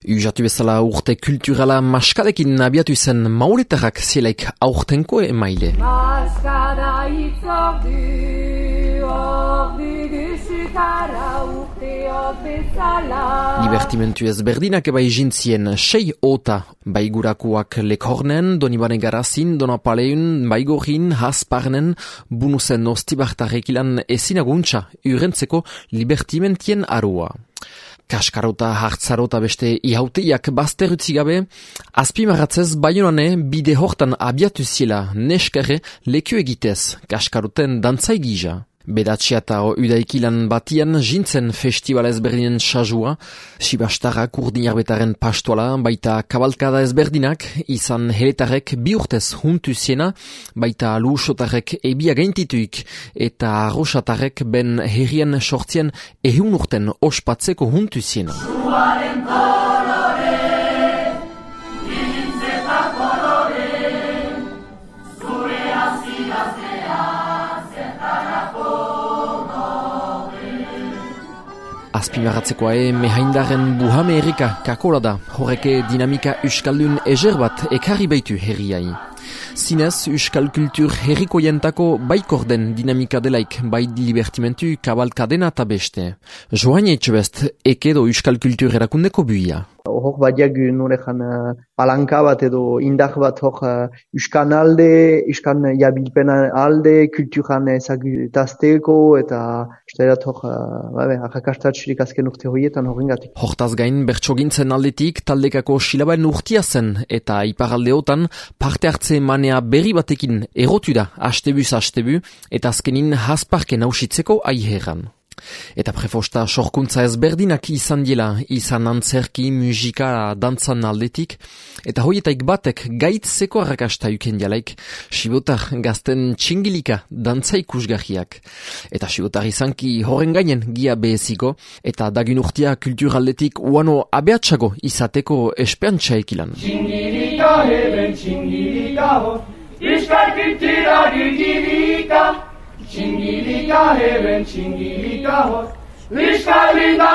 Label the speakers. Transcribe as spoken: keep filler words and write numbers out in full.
Speaker 1: Ujatu bezala urte kulturala maskadekin abiatu zen mauletarrak zielaik aurtenko emaile. Maskada itzordu, ordu dusutara urteok bezala. Libertimentu ezberdinak ebai jintzien sei ota, baigurakuak Lekhornen, Donibane Garazin, Donapaleun, Baigorin, Hasparnen, bunuzen ostibartarekilan ezinaguntza urentzeko libertimentien arua. Kaskarota, hartzarota beste ihauteiak bazterutzi gabe, azpimarratzez Baionane bide hortan abiatu ziela neskerre leku egitez, kaskaroten dantzai gija. Bedatxia eta udaikilan batian jintzen festival ezberdinen sajua, Sibastarrak urdinarbetaren pastoala, baita kabalkada ezberdinak, izan heletarek bi urtez huntu ziena, baita luusotarek ebia gaintituik, eta arrosatarek ben herrien sortzien ehun urten ospatzeko huntu ziena. Azpimarratzekoa e mehaindaren buhame erika kakola da, horreke dinamika euskaldun ezer bat ekarri baitu herriai. Zinez, euskal kultur herriko jentako baikor den dinamika delaik bai libertimentu kabalkadena eta beste. Joan etxebest, ekedo euskal kultur erakundeko buia.
Speaker 2: Hor badiak norejan palanka bat edo indak bat hor euskan alde, euskan jabilpena alde, kulturan ezagutazteko eta usteirat hor arrakastatxirik azken urte horietan horrengatik.
Speaker 1: Hortaz gain, bertsogintzen aldetik taldekako silabaen urtia zen eta iparaldeotan parte hartze manea berri batekin erotu da astebuz astebu eta azkenin hasparken hausitzeko aiheran. Eta prefosta sorkuntza ezberdinak izan dela, izan antzerki, musika, dantzan aldetik, eta hoietaik batek gaitzeko arrakasta uken jalaik, Sibotar gazten txingilika dantza ikusgarriak. Eta Sibotar izanki horren gainen gia beheziko, eta dagin urtia kulturaldetik uano abeatsago izateko esperantza ekilan.
Speaker 3: Txingilika heben txingilika hor, iskal kultura gilgilika, txingilika heben txingilika hor, euskal linda